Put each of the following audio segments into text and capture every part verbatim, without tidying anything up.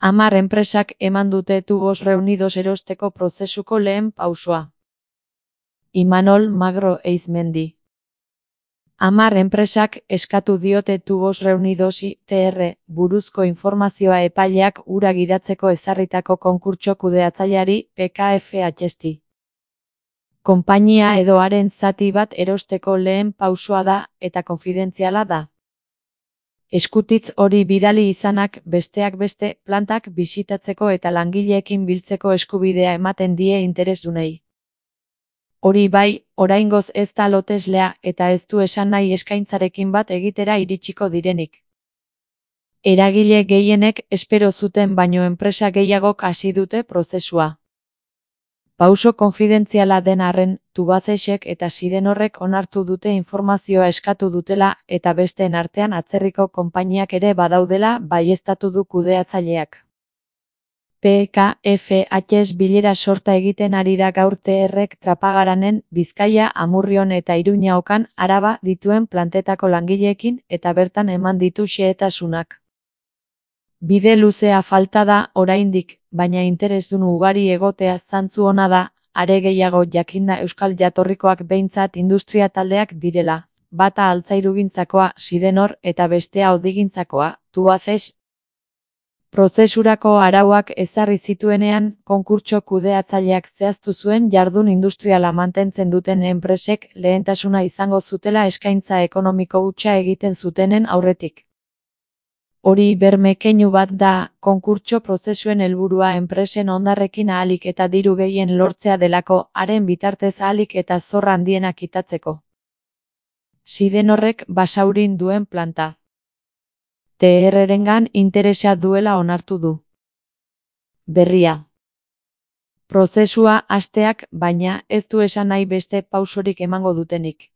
Hamar enpresak eman dute Tubos Reunidos erosteko prozesuko lehen pausoa. Imanol Magro Eizmendi. Hamar enpresak eskatu diote Tubos Reunidosi T R buruzko informazioa epaileak hura gidatzeko ezarritako konkurtso kudeatzaileari P K F H. Konpainia edo haren zati bat erosteko lehen pausoa da eta konfidentziala da. Eskutitz hori bidali izanak besteak beste plantak bisitatzeko eta langileekin biltzeko eskubidea ematen die interesdunei. Hori bai, oraingoz ez da loteslea eta ez du esan nahi eskaintzarekin bat egitera iritsiko direnik. Eragile gehienek espero zuten baino enpresa gehiagok hasi dute prozesua. Pauso konfidentziala den arren, Tubacexek eta Sidenorrek onartu dute informazioa eskatu dutela eta besteen artean atzerriko konpainiak ere badaudela baieztatu du kudeatzaileak. P K F H bilera sorta egiten ari da gaur T Rek Trapagaranen, Bizkaia, Amurrion eta Iruña Okan, Araba dituen plantetako langileekin eta bertan eman ditu xehetasunak. Bide luzea falta da oraindik, baina interesdun ugari egotea zantzu ona da, are gehiago jakinda euskal jatorrikoak behintzat industria taldeak direla, bata altzairugintzakoa, Sidenor, eta bestea hodigintzakoa, Tubacex. Prozesurako arauak ezarri zituenean, konkurtso kudeatzaileak zehaztu zuen jardun industriala mantentzen duten enpresek lehentasuna izango zutela eskaintza ekonomiko hutsa egiten zutenen aurretik. Hori berme keinu bat da, konkurtso prozesuen helburua enpresen hondarrekin ahalik eta diru gehien lortzea delako, haren bitartez ahalik eta zorra handiena kitatzeko. Sidenorrek Basaurin duen planta. T Rrengan interesa duela onartu du. Berria. Prozesua hasteak, baina ez du esan nahi beste pausorik emango dutenik.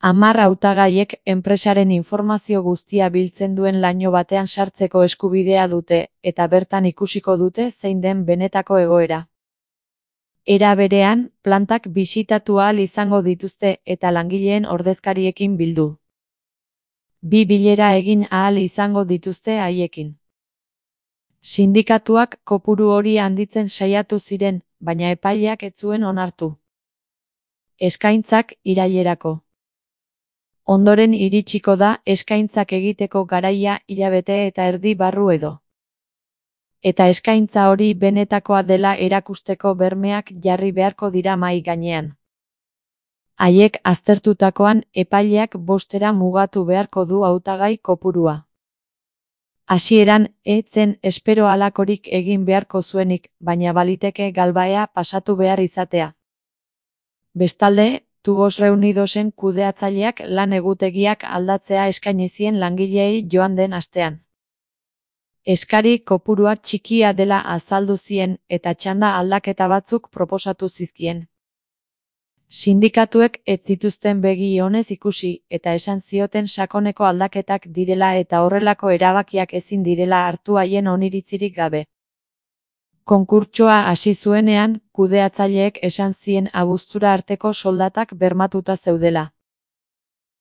Hamar hautagaiek enpresaren informazio guztia biltzen duen laino batean sartzeko eskubidea dute, eta bertan ikusiko dute zein den benetako egoera. Era berean, plantak bisitatu ahal izango dituzte eta langileen ordezkariekin bildu. Bi bilera egin ahal izango dituzte haiekin. Sindikatuak kopuru hori handitzen saiatu ziren, baina epaileak ez zuen onartu. Eskaintzak irailerako. Ondoren iritsiko da eskaintzak egiteko garaia hilabete eta erdi barru edo. Eta eskaintza hori benetakoa dela erakusteko bermeak jarri beharko dira mahai gainean. Haiek aztertutakoan epaileak bostera mugatu beharko du hautagai kopurua. Hasieran ez zen espero halakorik egin beharko zuenik, baina baliteke galbaea pasatu behar izatea. Bestalde, Tubos Reunidosen kudeatzaileak lan egutegiak aldatzea eskaini zien langileei joan den astean. Eskari kopurua txikia dela azaldu zien eta txanda aldaketa batzuk proposatu zizkien. Sindikatuek ez zituzten begi onez ikusi eta esan zioten sakoneko aldaketak direla eta horrelako erabakiak ezin direla hartu haien oniritzirik gabe. Konkurtsoa hasi zuenean, kudeatzaileek esan zien abuztura arteko soldatak bermatuta zeudela.